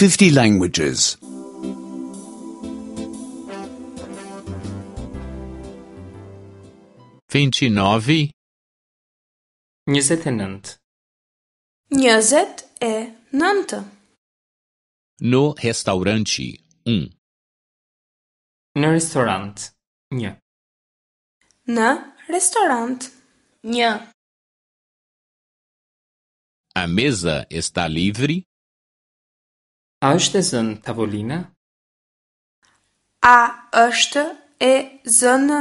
50 languages. 29, 29. 29. no restaurante 1, Në restorant. 1. Në restorant. 1. A mesa está livre? A është e zënë tavolina? A është e zënë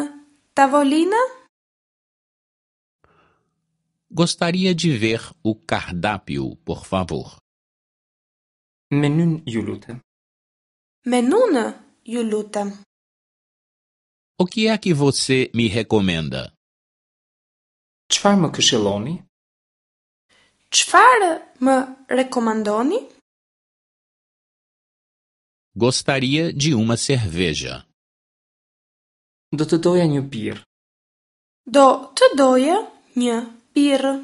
tavolina? Gostaria de ver o cardápio, por favor. Menyn ju lutem. Menunë, ju lutem. O que é que você me recomenda? Çfarë më këshilloni? Çfarë më rekomandoni? Gostaria de uma cerveja. Do të doja një birrë. Do të doja një birrë.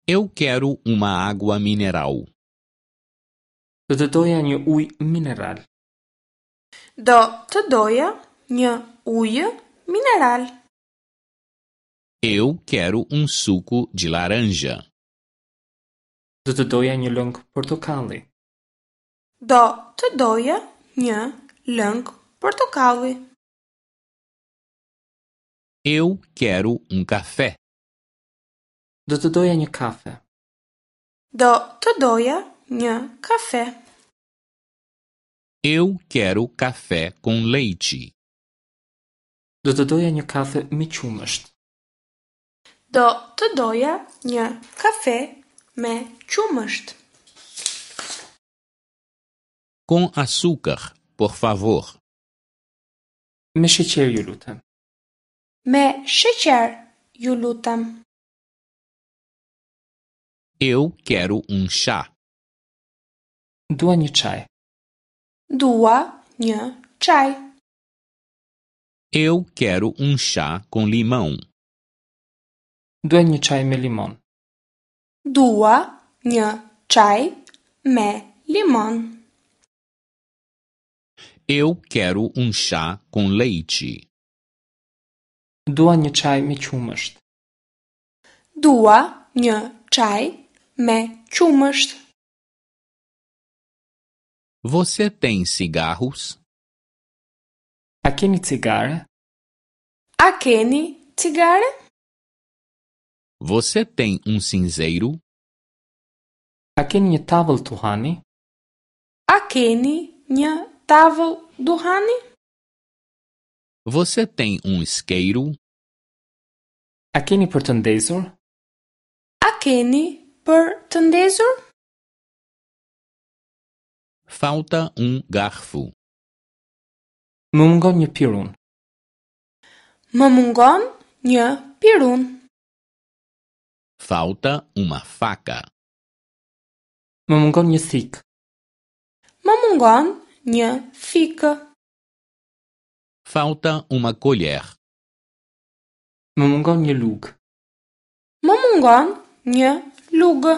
Eu quero uma água mineral. Do të doja një ujë mineral. Do të doja një ujë mineral. Eu quero um suco de laranja. Do të doja një lëng portokalli. Do të doja një lëng portokalli. Eu quero um café. Do të doja një kafe. Do të doja një kafe. Eu quero café com leite. Do të doja një kafe me qumësht. Do të doja një kafe me qumësht. Com açúcar, por favor. Me sheqer ju lutem. Me sheqer, ju lutem. Eu quero um chá. Dua një çaj. Dua një çaj. Eu quero um chá com limão. Dua një çaj me limon. Dua një çaj me limon. Eu quero um chá com leite. Dua një çaj me qumësht. Dua një çaj me qumësht. Você tem cigarros? A keni cigare? A keni cigare? Você tem um cinzeiro? A keni një tavëll tuhani? A keni një tavëll duhani? Você tem um isqueiro? A keni për të ndezur? A keni për të ndezur? Falta um garfo. Më mungon një pirun. Më mungon një pirun. Falta uma faca. Më mungon një thikë. Më mungon një thikë. Falta uma colher. Më mungon një lugë. Më mungon një lugë.